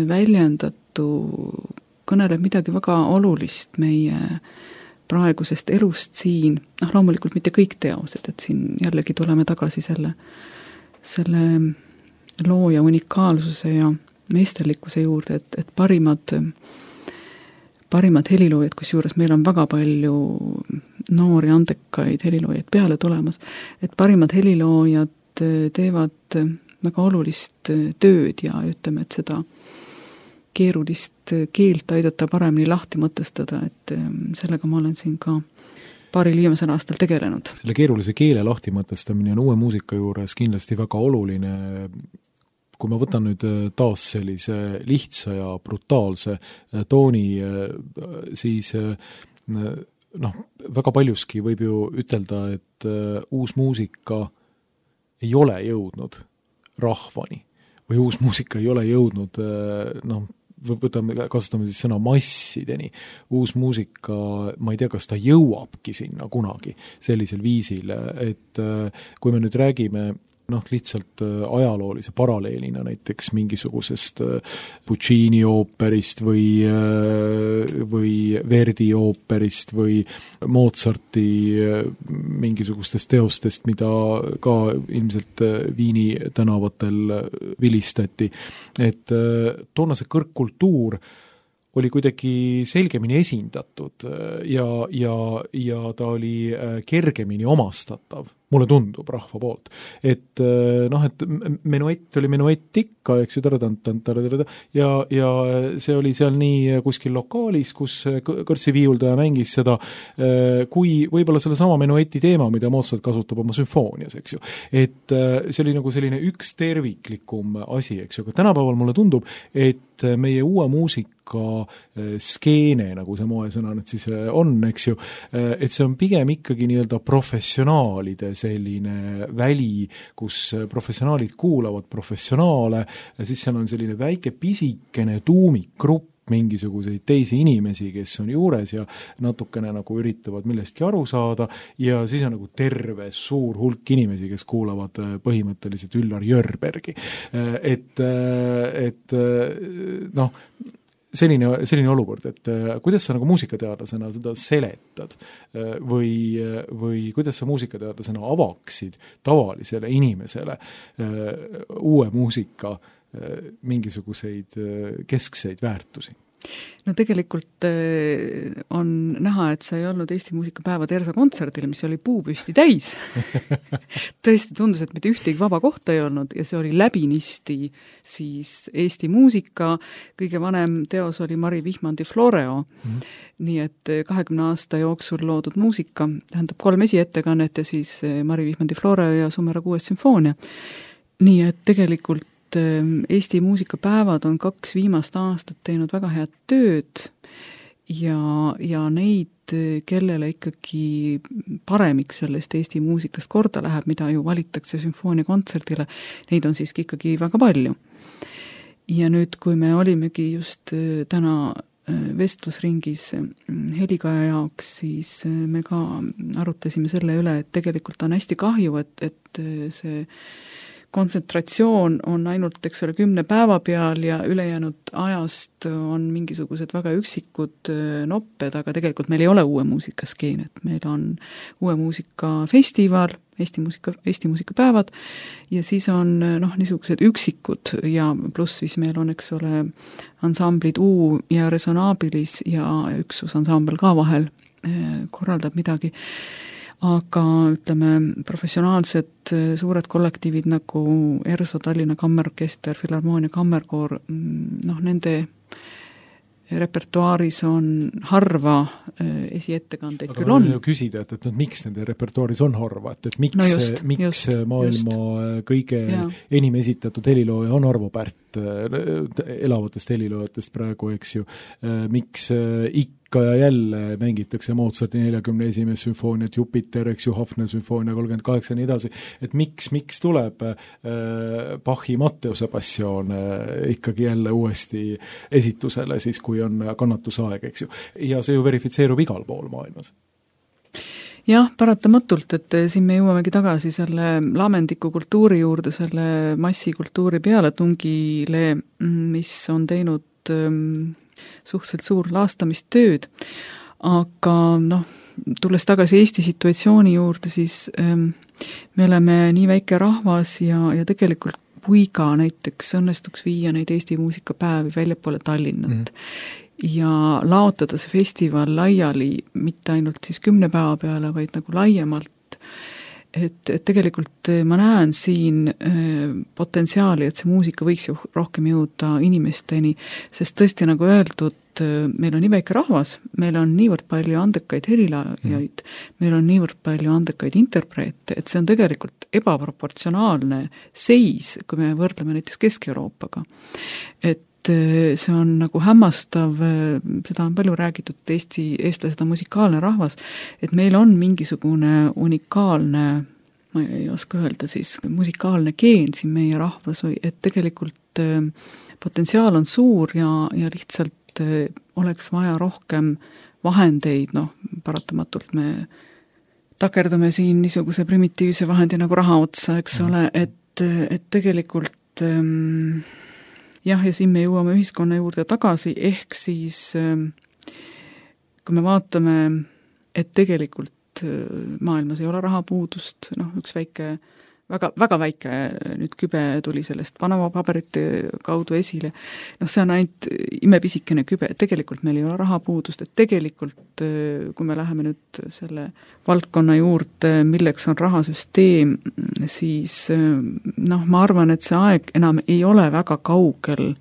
väljendatu kõneleb midagi väga olulist meie praegusest elust siin, loomulikult mitte kõik teosed, et siin jällegi tuleme tagasi selle looja unikaalsuse ja meisterlikkuse juurde, et parimad heliloojad, kusjuures meil on väga palju noori andekaid heliloojaid peale tulemas, et parimad heliloojad teevad väga olulist tööd ja ütleme, et seda keerulist keelt aidata paremini lahti mõtestada, et sellega ma olen siin ka paaril viimasel aastal tegelenud. Selle keerulise keele lahti mõtestamine on uue muusika juures kindlasti väga oluline. Kui ma võtan nüüd taas sellise lihtsa ja brutaalse tooni, siis väga paljuski võib ju ütelda, et uus muusika ei ole jõudnud rahvani või uus muusika ei ole jõudnud kasutame siis sõna massideni. Uus muusika, ma ei tea, kas ta jõuabki sinna kunagi sellisel viisil, et kui me nüüd räägime lihtsalt ajaloolise paralleelina näiteks mingisugusest Puccini ooperist või Verdi ooperist või Mozarti mingisugustest teostest, mida ka ilmselt Viini tänavatel vilistati. Et toona see kõrgkultuur oli kuidagi selgemini esindatud ja ta oli kergemini omastatav, mulle tundub rahva poolt. Et menuett oli menuett ikka, eks ju, ja see oli seal nii kuskil lokaalis, kus kõrtsiviiuldaja mängis seda, kui võib-olla selle sama menueti teema, mida Mozart kasutab oma sümfoonias, eks ju. Et see oli nagu selline üks terviklikum asi, eks ju, aga tänapäeval mulle tundub, et meie uue muusika skeene, nagu see moesõna nüüd siis on, eks ju, et see on pigem ikkagi nii-öelda professionaalide selline väli, kus professionaalid kuulavad professionaale, siis seal on selline väike pisikene tuumikgrupp mingisuguseid teisi inimesi, kes on juures ja natukene nagu üritavad millestki aru saada ja siis on nagu terve suur hulk inimesi, kes kuulavad põhimõtteliselt Üllar Jörbergi. Selline olukord, et kuidas sa nagu muusikateadlasena seda seletad või kuidas sa muusikateadlasena avaksid tavalisele inimesele uue muusika mingisuguseid keskseid väärtusi? No tegelikult on näha, et sa ei olnud Eesti muusikapäeva Tersa kontserdil, mis oli puupüsti täis. Tõesti tundus, et mitte ühtegi vaba kohta ei olnud ja see oli läbinisti siis Eesti muusika. Kõige vanem teos oli Mari Vihmandi Floreo. Nii et 20 aasta jooksul loodud muusika, tähendab 3 esiettekannet ja siis Mari Vihmandi Floreo ja Sumera 6. sümfoonia. Nii et tegelikult Eesti muusikapäevad on 2 viimast aastat teinud väga head tööd ja neid, kellele ikkagi paremiks sellest Eesti muusikast korda läheb, mida ju valitakse sümfooniakontserdile, neid on siiski ikkagi väga palju. Ja nüüd, kui me olimegi just täna vestlusringis Helikaja jaoks, siis me ka arutasime selle üle, et tegelikult on hästi kahju, et see kontsentratsioon on ainult, eks ole, 10 päeva peal ja ülejäänud ajast on mingisugused väga üksikud nopped, aga tegelikult meil ei ole uue muusika skeenet. Meil on uue muusika festival, Eesti muusikapäevad ja siis on niisugused üksikud ja pluss siis meil on, eks ole, ansamblid U ja Resonabilis ja üksus ansambel ka vahel korraldab midagi. Aga ütleme, professionaalsed suured kollektiivid nagu ERSO, Tallinna Kammerorkester, Filharmoonia Kammerkoor, nende repertuaaris on harva esiettekandeid aga küll on. Aga küsida, et miks nende repertuaaris on harva, et miks maailma kõige enim esitatud helilooja on Arvo Pärt elavatest heliloojatest praegu, eks ju, miks ikka ja jälle mängitakse Mozarti 41. sümfooniat, Jupiter, eks ju, Hafner sümfoonia 38 ja nii edasi, et miks tuleb Bachi Matteuse passioon ikkagi jälle uuesti esitusele, siis kui on kannatusaeg, eks ju. Ja see ju verifitseerub igal pool maailmas. Jah, paratamatult, et siin me jõuamegi tagasi selle lamendiku kultuuri juurde, selle massikultuuri pealetungile, mis on teinud suhteliselt suur laastamistööd. Aga tulles tagasi Eesti situatsiooni juurde, siis me oleme nii väike rahvas ja tegelikult kui ka näiteks õnnestuks viia neid Eesti muusikapäevi väljapoole Tallinnat. Ja laotada see festival laiali mitte ainult siis 10 päeva peale, vaid nagu laiemalt. Et tegelikult ma näen siin potentsiaali, et see muusika võiks ju rohkem jõuda inimesteni, sest tõesti nagu öeldud, meil on nii väike rahvas, meil on niivõrd palju andekaid helilaajaid, meil on niivõrd palju andekaid interpreete, et see on tegelikult ebaproportsionaalne seis, kui me võrdleme näiteks Kesk-Euroopaga. Et see on nagu hämmastav, seda on palju räägitud, et eestlased on musikaalne rahvas, et meil on mingisugune unikaalne, ma ei oska öelda siis, musikaalne geen siin meie rahvas või et tegelikult potentsiaal on suur ja lihtsalt oleks vaja rohkem vahendeid, paratamatult me takerdume siin niisuguse primitiivse vahendi nagu raha otsa, eks ole, et tegelikult ja siin me jõuame ühiskonna juurde tagasi, ehk siis kui me vaatame, et tegelikult maailmas ei ole rahapuudust, üks väike, väga väike nüüd kübe tuli sellest Panama paberite kaudu esile, see on ainult imepisikene kübe, et tegelikult meil ei ole rahapuudust, et tegelikult kui me läheme nüüd selle valdkonna juurde, milleks on rahasüsteem, siis ma arvan, et see aeg enam ei ole väga kaugel,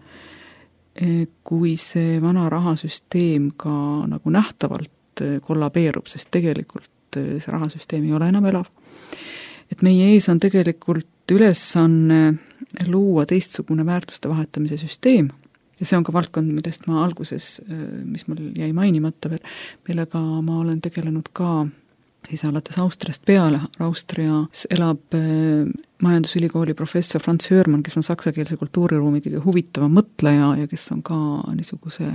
kui see vana rahasüsteem ka nagu nähtavalt kollabeerub, sest tegelikult see rahasüsteem ei ole enam elav. Et meie ees on tegelikult ülesanne luua teistsugune väärtuste vahetamise süsteem ja see on ka valdkond, millest ma alguses, mis mul jäi mainimata veel, millega ma olen tegelenud ka siis alates Austriast peale. Austrias elab majandusülikooli professor Franz Hörmann, kes on saksakeelse kultuuriruumi kõige huvitavam mõtleja ja kes on ka niisuguse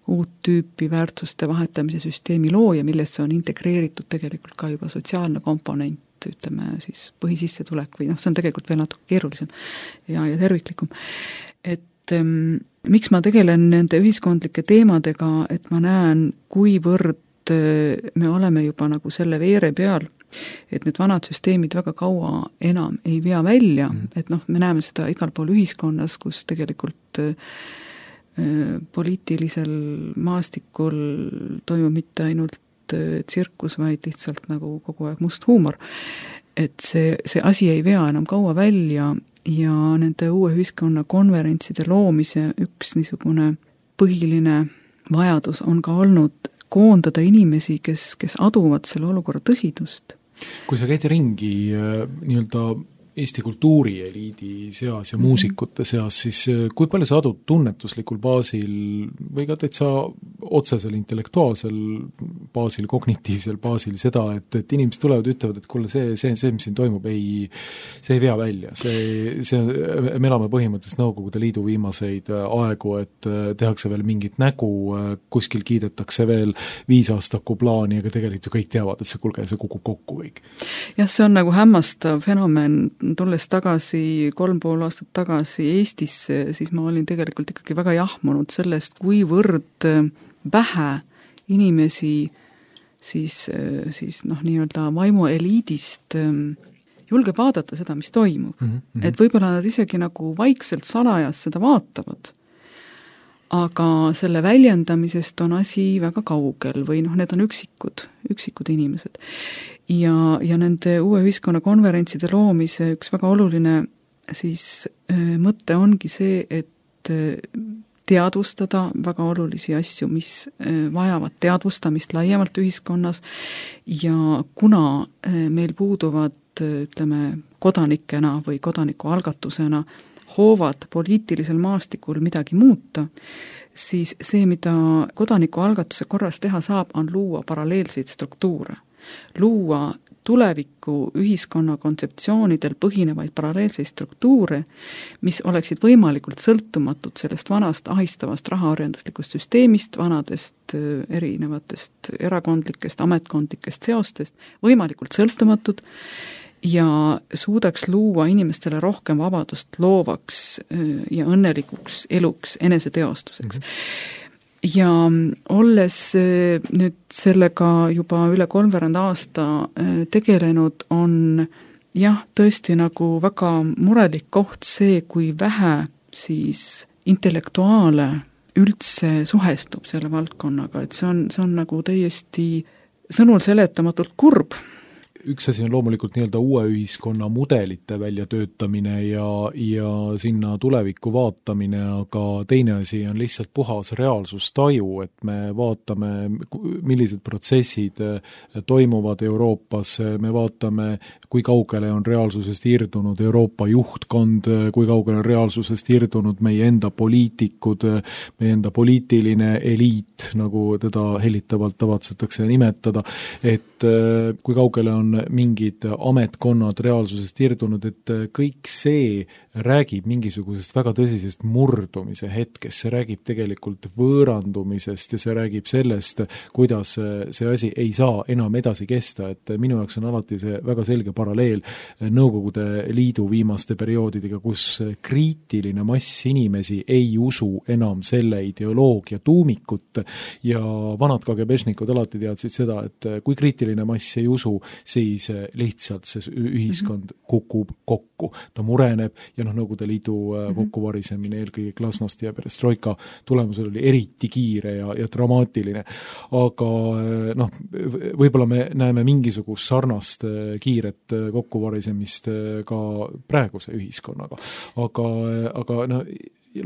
uut tüüpi väärtuste vahetamise süsteemi looja, millesse on integreeritud tegelikult ka juba sotsiaalne komponent, ütleme siis põhisissetulek või see on tegelikult veel natuke keerulisem ja terviklikum. Et miks ma tegelen nende ühiskondlike teemadega, et ma näen, kuivõrd me oleme juba nagu selle veere peal, et need vanad süsteemid väga kaua enam ei vea välja, et me näeme seda igal pool ühiskonnas, kus tegelikult poliitilisel maastikul toimub mitte ainult tsirkus, vaid lihtsalt nagu kogu aeg must huumor. Et see asi ei vea enam kaua välja ja nende uue ühiskonna konverentside loomise üks niisugune põhiline vajadus on ka olnud koondada inimesi, kes aduvad selle olukorra tõsidust. Kui sa käid ringi nii-öelda Eesti kultuurieliidi seas ja muusikute seas, siis kui palju sa adud tunnetuslikul baasil või ka täitsa otsesel intellektuaalsel baasil, kognitiivsel baasil seda, et inimesed tulevad ja ütlevad, et kuule, see, mis siin toimub, see ei vea välja. Me elame põhimõtteliselt Nõukogude Liidu viimaseid aegu, et tehakse veel mingit nägu, kuskil kiidetakse veel 5-aastaku plaani, aga tegelikult ju kõik teavad, et see kukub kokku kõik. Jah, see on nagu hämmastav fenomen. Tulles tagasi 3,5 aastat tagasi Eestisse, siis ma olin tegelikult ikkagi väga jahmunud sellest, kuivõrd vähe inimesi siis nii-öelda vaimueliidist julgeb vaadata seda, mis toimub. Et võib-olla nad isegi nagu vaikselt salajas seda vaatavad, aga selle väljendamisest on asi väga kaugel või need on üksikud inimesed. Ja nende uue ühiskonna konverentside loomise üks väga oluline siis mõte ongi see, et teadvustada väga olulisi asju, mis vajavad teadvustamist laiemalt ühiskonnas ja kuna meil puuduvad, ütleme, kodanikena või kodanikualgatusena hoovad poliitilisel maastikul midagi muuta, siis see, mida kodanikualgatuse korras teha saab, on luua paralleelseid struktuure. Luua tuleviku ühiskonna kontseptsioonidel põhinevaid paralleelseid struktuure, mis oleksid võimalikult sõltumatud sellest vanast ahistavast rahaorjenduslikust süsteemist, vanadest erinevatest erakondlikest, ametkondlikest seostest, võimalikult sõltumatud ja suudaks luua inimestele rohkem vabadust loovaks ja õnnelikuks eluks, eneseteostuseks. Ja olles nüüd sellega juba üle 30 aasta tegelenud, on jah, tõesti nagu väga murelik koht see, kui vähe siis intellektuaale üldse suhestub selle valdkonnaga, et see on nagu täiesti sõnul seletamatult kurb. Üks asi on loomulikult nii-öelda uue ühiskonna mudelite väljatöötamine ja sinna tulevikku vaatamine, aga teine asi on lihtsalt puhas reaalsustaju, et me vaatame, millised protsessid toimuvad Euroopas, me vaatame, kui kaugele on reaalsusest irdunud Euroopa juhtkond, kui kaugele on reaalsusest irdunud meie enda poliitikud, meie enda poliitiline eliit, nagu teda hellitavalt tavatsetakse nimetada, et kui kaugele on mingid ametkonnad reaalsusest irdunud, et kõik see räägib mingisugusest väga tõsisest murdumise hetkest, see räägib tegelikult võõrandumisest ja see räägib sellest, kuidas see asi ei saa enam edasi kesta, et minu jaoks on alati see väga selge paralleel Nõukogude Liidu viimaste perioodidega, kus kriitiline mass inimesi ei usu enam selle ideoloogia tuumikut ja vanad KGB-šnikud alati teadsid seda, et kui kriitiline mass ei usu, siis lihtsalt see ühiskond kukub kokku, ta mureneb ja Nõukogude Liidu kokkuvarisemine eelkõige glasnosti ja perestroika tulemusel oli eriti kiire ja dramaatiline. Aga võib-olla me näeme mingisugust sarnast kiiret kokkuvarisemist ka praeguse ühiskonnaga. Aga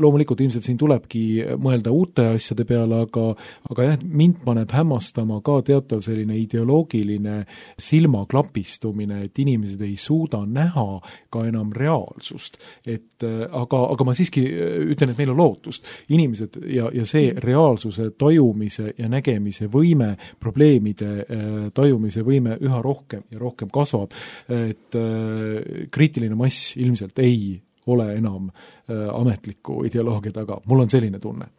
loomulikult ilmselt siin tulebki mõelda uute asjade peale, aga jah, mind paneb hämmastama ka teatav selline ideoloogiline silmaklapistumine, et inimesed ei suuda näha ka enam reaalsust. Aga ma siiski ütlen, et meil on lootust. Inimesed ja see reaalsuse tajumise ja nägemise võime, probleemide tajumise võime üha rohkem ja rohkem kasvab, et kriitiline mass ilmselt ei ole enam ametliku ideoloogia taga. Mul on selline tunne.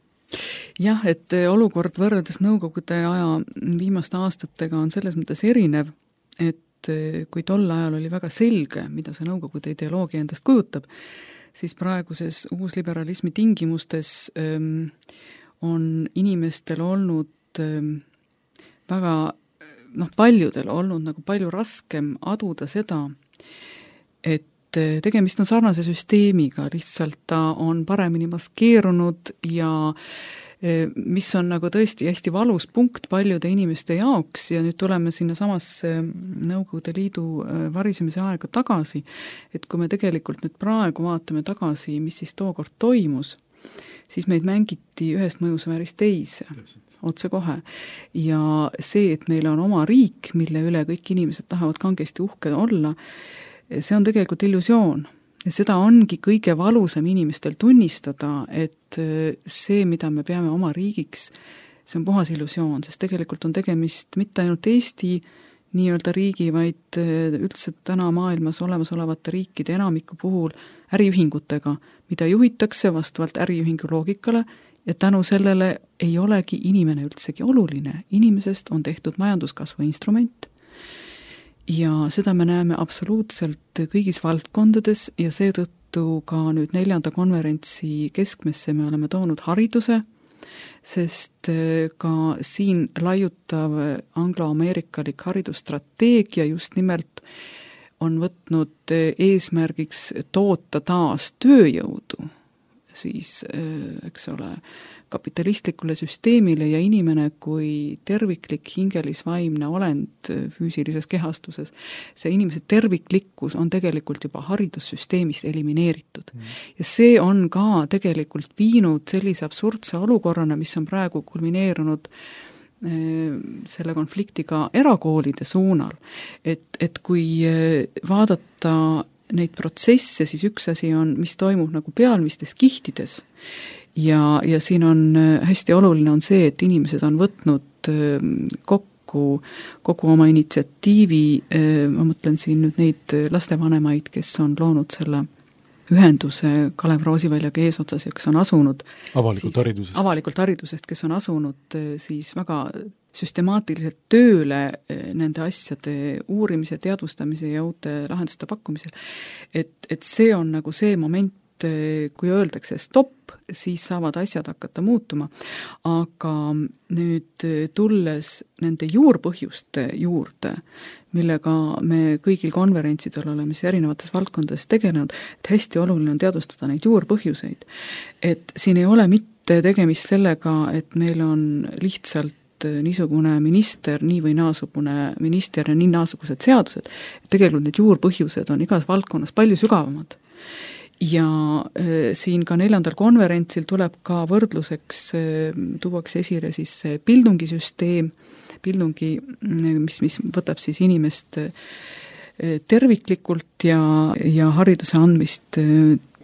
Jah, et olukord võrreldes Nõukogude aja viimaste aastatega on selles mõttes erinev, et kui tol ajal oli väga selge, mida see Nõukogude ideoloogia endast kujutab, siis praeguses uusliberalismi tingimustes on inimestel olnud väga, paljudel olnud nagu palju raskem aduda seda, et tegemist on sarnase süsteemiga, lihtsalt ta on paremini maskeerunud ja mis on nagu tõesti hästi valus punkt paljude inimeste jaoks ja nüüd tuleme sinna samasse Nõukogude Liidu varisemise aega tagasi, et kui me tegelikult nüüd praegu vaatame tagasi, mis siis tookord toimus, siis meid mängiti ühest mõjusfäärist teise, otsekohe. Ja see, et meil on oma riik, mille üle kõik inimesed tahavad kangesti uhke olla, see on tegelikult illusioon. Ja seda ongi kõige valusam inimestel tunnistada, et see, mida me peame oma riigiks, see on puhas illusioon, sest tegelikult on tegemist mitte ainult Eesti nii-öelda riigi, vaid üldse täna maailmas olemasolevate riikide enamiku puhul äriühingutega, mida juhitakse vastavalt äriühingu loogikale ja tänu sellele ei olegi inimene üldsegi oluline. Inimesest on tehtud majanduskasvu instrument ja seda me näeme absoluutselt kõigis valdkondades ja seetõttu ka nüüd 4. konverentsi keskmesse me oleme toonud hariduse, sest ka siin laiutav anglo-ameerikalik haridusstrateegia just nimelt on võtnud eesmärgiks toota taas tööjõudu, siis, eks ole, kapitalistlikule süsteemile ja inimene kui terviklik hingelisvaimne olend füüsilises kehastuses, see inimese terviklikkus on tegelikult juba haridussüsteemist elimineeritud. Ja see on ka tegelikult viinud sellise absurdse olukorrana, mis on praegu kulmineerunud selle konfliktiga erakoolide suunal, et kui vaadata neid protsesse, siis üks asi on, mis toimub nagu pealmistes kihtides ja siin on hästi oluline on see, et inimesed on võtnud kogu oma initsiatiivi, ma mõtlen siin nüüd neid lastevanemaid, kes on loonud selle ühenduse Kalev Roosiväljaga eesotsas ja kes on asunud avalikult haridusest, kes on asunud siis väga süstemaatiliselt tööle nende asjade uurimise, teadvustamise ja uute lahenduste pakkumisel. Et see on nagu see moment, kui öeldakse stopp, siis saavad asjad hakata muutuma. Aga nüüd tulles nende juurpõhjuste juurde, millega me kõigil konverentsidel oleme erinevates valdkondades tegelenud, et hästi oluline on teadvustada neid juurpõhjuseid. Et siin ei ole mitte tegemist sellega, et meil on lihtsalt niisugune minister, nii või naasugune minister ja nii naasugused seadused. Tegelikult need juurpõhjused on igas valdkonnas palju sügavamad. Ja siin ka 4. konverentsil tuleb ka võrdluseks, tuuakse esile siis pildungisüsteem, mis võtab siis inimest terviklikult ja hariduse andmist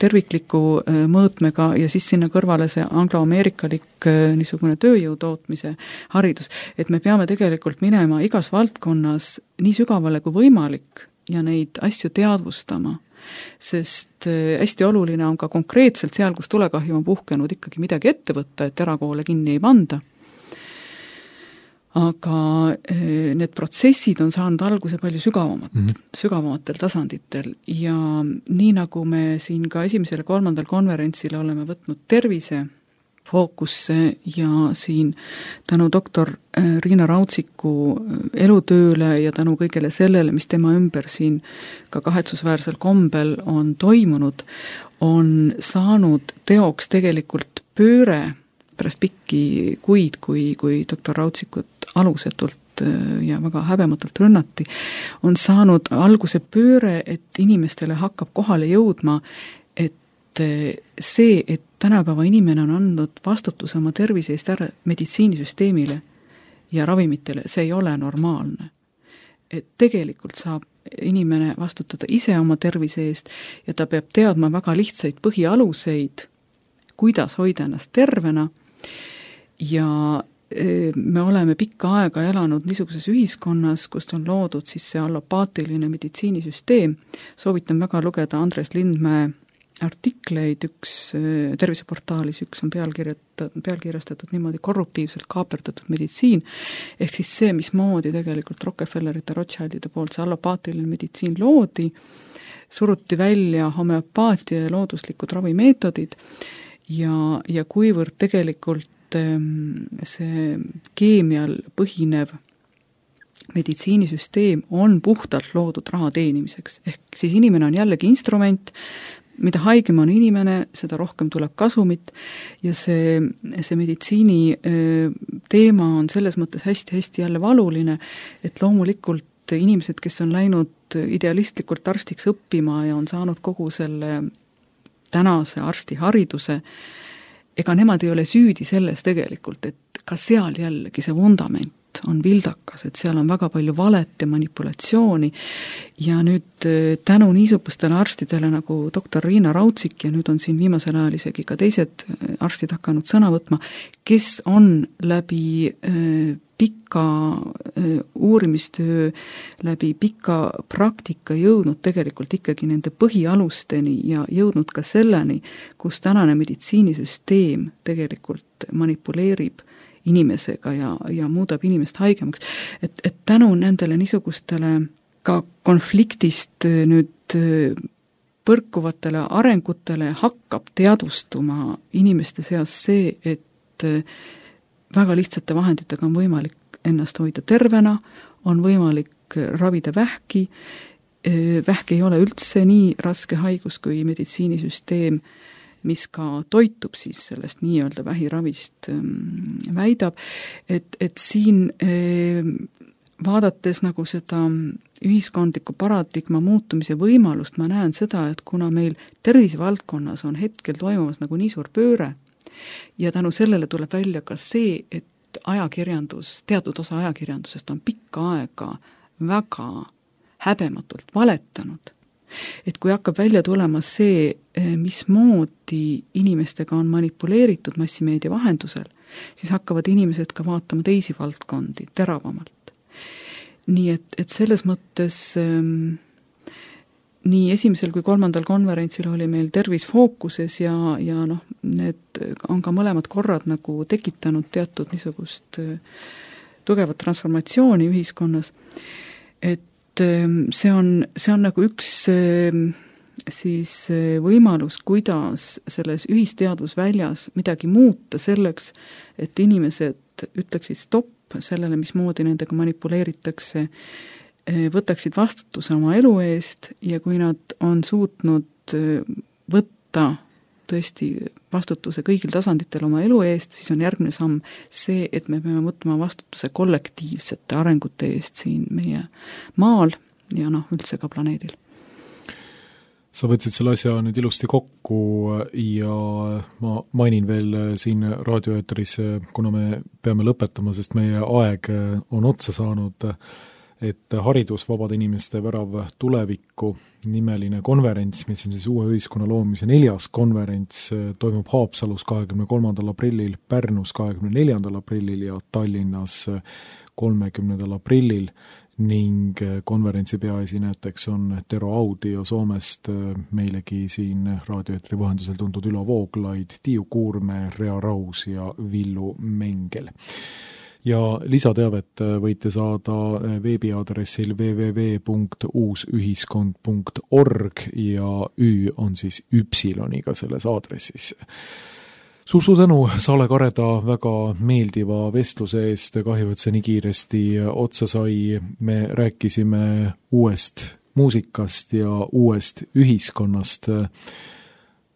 tervikliku mõõtmega ja siis sinna kõrvale see anglo-ameerikalik niisugune tööjõu tootmise haridus. Et me peame tegelikult minema igas valdkonnas nii sügavale kui võimalik ja neid asju teadvustama, sest hästi oluline on ka konkreetselt seal, kus tulekahju on puhkenud, ikkagi midagi ette võtta, et erakoole kinni ei panda. Aga need protsessid on saanud alguse palju sügavamatel tasanditel ja nii nagu me siin ka 1. ja 3. konverentsil oleme võtnud tervise fookusse ja siin tänu doktor Riina Rautsiku elutööle ja tänu kõigele sellele, mis tema ümber siin ka kahetsusväärsel kombel on toimunud, on saanud teoks tegelikult pööre pärast pikki kuid, kui doktor Rautsikut alusetult ja väga häbematult rünnati, on saanud alguse pööre, et inimestele hakkab kohale jõudma, et see, et tänapäeva inimene on andnud vastutuse oma tervise eest ära meditsiinisüsteemile ja ravimitele, see ei ole normaalne. Et tegelikult saab inimene vastutada ise oma tervise eest ja ta peab teadma väga lihtsaid põhialuseid, kuidas hoida ennast tervena ja me oleme pikka aega elanud niisuguses ühiskonnas, kust on loodud siis see allopaatiline meditsiinisüsteem. Soovitan väga lugeda Andres Lindmäe artikleid, üks terviseportaalis, üks on pealkirjastatud niimoodi korruptiivselt kaaperdatud meditsiin, ehk siis see, mismoodi tegelikult Rockefellerite, Rothschildide poolt see allopaatiline meditsiin loodi, suruti välja homeopaatia ja looduslikud ravimeetodid ja kuivõrd tegelikult see keemial põhinev meditsiinisüsteem on puhtalt loodud raha teenimiseks. Ehk siis inimene on jällegi instrument, mida haigem on inimene, seda rohkem tuleb kasumit ja see meditsiini teema on selles mõttes hästi-hästi jälle valuline, et loomulikult inimesed, kes on läinud idealistlikult arstiks õppima ja on saanud kogu selle tänase arstihariduse, ega nemad ei ole süüdi selles tegelikult, et ka seal jällegi see vundament on vildakas, et seal on väga palju valet ja manipulatsiooni ja nüüd tänu niisugustele arstidele nagu doktor Riina Raudsik ja nüüd on siin viimasel ajal isegi ka teised arstid hakanud sõna võtma, kes on läbi pika uurimistöö, läbi pika praktika jõudnud tegelikult ikkagi nende põhialusteni ja jõudnud ka selleni, kus tänane meditsiinisüsteem tegelikult manipuleerib inimesega ja muudab inimest haigemaks. Et tänu nendele niisugustele ka konfliktist nüüd põrkuvatele arengutele hakkab teadvustuma inimeste seas see, et väga lihtsate vahenditega on võimalik ennast hoida tervena, on võimalik ravida vähki, vähk ei ole üldse nii raske haigus kui meditsiinisüsteem, mis ka toitub siis sellest nii-öelda vähiravist väidab, et siin vaadates nagu seda ühiskondliku paradigma muutumise võimalust, ma näen seda, et kuna meil tervisevaldkonnas on hetkel toimumas nagu nii suur pööre ja tänu sellele tuleb välja ka see, et ajakirjandus, teatud osa ajakirjandusest on pikka aega väga häbematult valetanud, et kui hakkab välja tulema see, mismoodi inimestega on manipuleeritud massimeedia vahendusel, siis hakkavad inimesed ka vaatama teisi valdkondi teravamalt. Nii et selles mõttes nii esimesel kui 3. konverentsil oli meil tervis fookuses ja noh, need on ka mõlemad korrad nagu tekitanud teatud niisugust tugevat transformatsiooni ühiskonnas, et see on nagu üks siis võimalus, kuidas selles ühisteadvusväljas midagi muuta selleks, et inimesed ütleksid stopp sellele, mismoodi nendega manipuleeritakse, võtaksid vastutuse oma elu eest ja kui nad on suutnud võtta tõesti vastutuse kõigil tasanditel oma elu eest, siis on järgmine samm see, et me peame võtma vastutuse kollektiivsete arengute eest siin meie maal ja üldse ka planeedil. Sa võtsid selle asja nüüd ilusti kokku ja ma mainin veel siin raadioeetris, kuna me peame lõpetama, sest meie aeg on otsa saanud, et haridus vabade inimeste värav tulevikku nimeline konverents, mis on siis uue ühiskonna loomise 4. konverents, toimub Haapsalus 23. aprillil, Pärnus 24. aprillil ja Tallinnas 30. aprillil ning konverentsi peaesinejateks on Tero Audio Soomest, meilegi siin raadioeetri vahendusel tuntud Ülo Vooglaid, Tiiu Kuurme, Rea Raus ja Villu Mengel. Ja lisateavet võite saada veebiaadressil www.uusühiskond.org ja Ü on siis üpsiloniga selles aadressis. Suur tänu Saale Kareda väga meeldiva vestluse eest, kahju, et see nii kiiresti otsa sai. Me rääkisime uuest muusikast ja uuest ühiskonnast.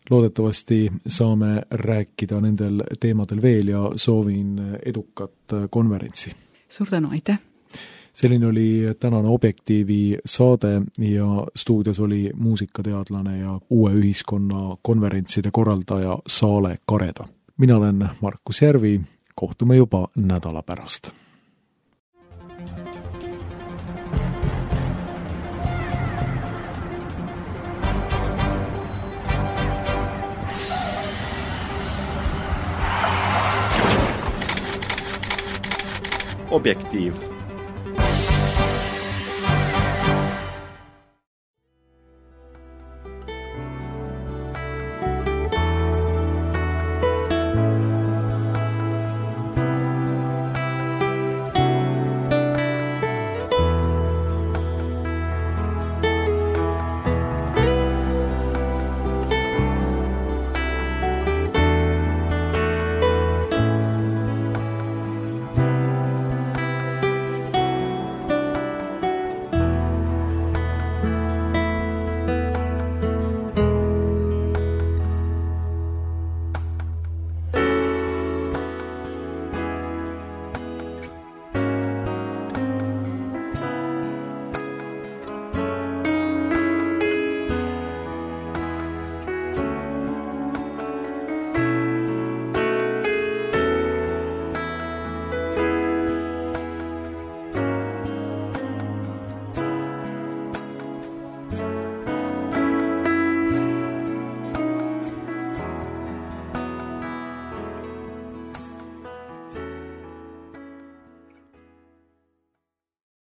Loodetavasti saame rääkida nendel teemadel veel ja soovin edukat konverentsi. Suur tänu, aitäh! Selline oli tänane Objektiivi saade ja stuudios oli muusikateadlane ja uue ühiskonna konverentside korraldaja Saale Kareda. Mina olen Markus Järvi, kohtume juba nädala pärast. Objektiiv.